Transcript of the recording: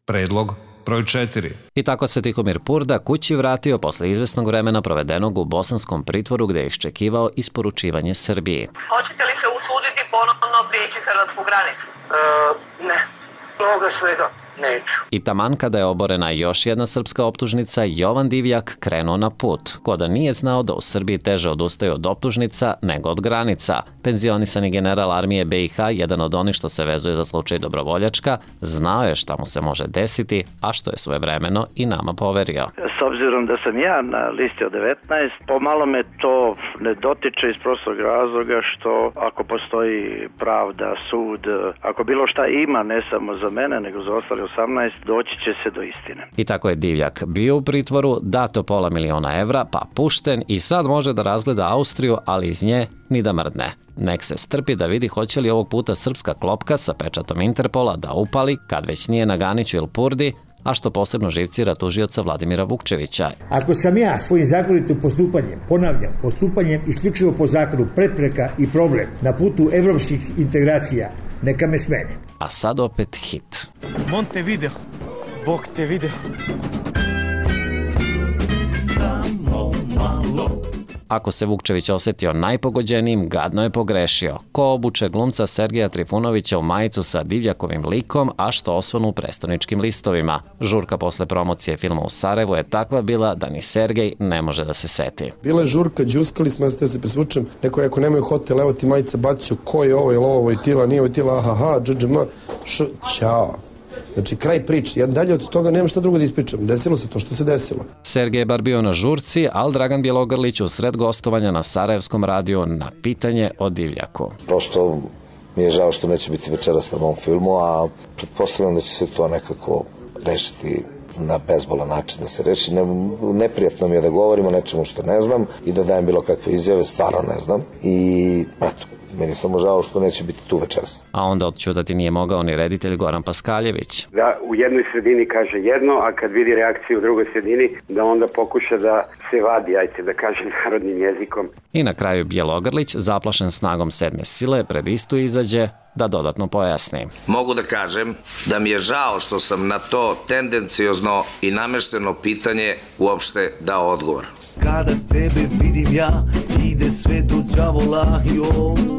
Predlog broj 4. I tako se Tihomir Purda kući vratio posle izvesnog vremena provedenog u bosanskom pritvoru gde je iščekivao isporučivanje Srbiji. Hoćete li se usuditi ponovno prijeći hrvatsku granicu? Ne. Mnogo svega neću. I taman kada je oborena još jedna srpska optužnica, Jovan Divjak krenuo na put. Ko da nije znao da u Srbiji teže odustaju od optužnica nego od granica. Penzionisani general armije BiH, jedan od onih što se vezuje za slučaj Dobrovoljačka, znao je šta mu se može desiti, a što je svojevremeno i nama poverio. S obzirom da sam ja na listi od 19, pomalo me to ne dotiče iz prostog razloga što ako postoji pravda, sud, ako bilo šta ima, ne samo za mene, nego za ostale 18, doći će se do istine. I tako je Divjak bio u pritvoru, dato $500.000 evra, pa pušten i sad može da razgleda Austriju, ali iz nje ni da mrdne. Nek se strpi da vidi hoće li ovog puta srpska klopka sa pečatom Interpola da upali, kad već nije na Ganiću ili Purdi, a što posebno živcira tužioca Vladimira Vukčevića. Ako sam ja svojim zakonitim postupanjem, ponavljam, postupanjem isključivo po zakonu prepreka i problem na putu evropskih integracija, neka me smene. A sad opet hit. Montevideo, Bog te video. Ako se Vukčević osetio najpogođenijim, gadno je pogrešio. Ko obuče glumca Sergeja Trifunovića u majicu sa Divljakovim likom, a što osvanu u prestoničkim listovima? Žurka posle promocije filma u Sarajevu je takva bila da ni Sergej ne može da se seti. Bila je žurka, džuskali smo, da se presvučem. Neko rekao, nemaju hotel, evo ti majica, bacio, ko je ovo, je li ovo Vojtila, nije Vojtila, ahaha, dždžma, ćao. Znači, kraj priče. Ja dalje od toga nemam šta drugo da ispričam. Desilo se to što se desilo. Sergej je bar bio na žurci, ali Dragan Bjelogrlić u sred gostovanja na Sarajevskom radiju na pitanje o Divljaku. Prosto mi je žao što neće biti večeras na mom filmu, a pretpostavljam da će se to nekako rešiti na bezbolan način da se reši. Neprijatno mi je da govorim o nečemu što ne znam i da dajem bilo kakve izjave, stvarno ne znam. I eto, meni je samo žao što neće biti tu večeras. A onda odćutati nije mogao ni reditelj Goran Paskaljević. Da u jednoj sredini kaže jedno, a kad vidi reakciju u drugoj sredini, da onda pokuša da se vadi, ajte da kažem narodnim jezikom. I na kraju Bjelogrlić, zaplašen snagom sedme sile, pred istu izađe da dodatno pojasni. Mogu da kažem da mi je žao što sam na to tendenciozno i namešteno pitanje uopšte dao odgovor. Kada tebe vidim ja, ide sve do đavola, joj.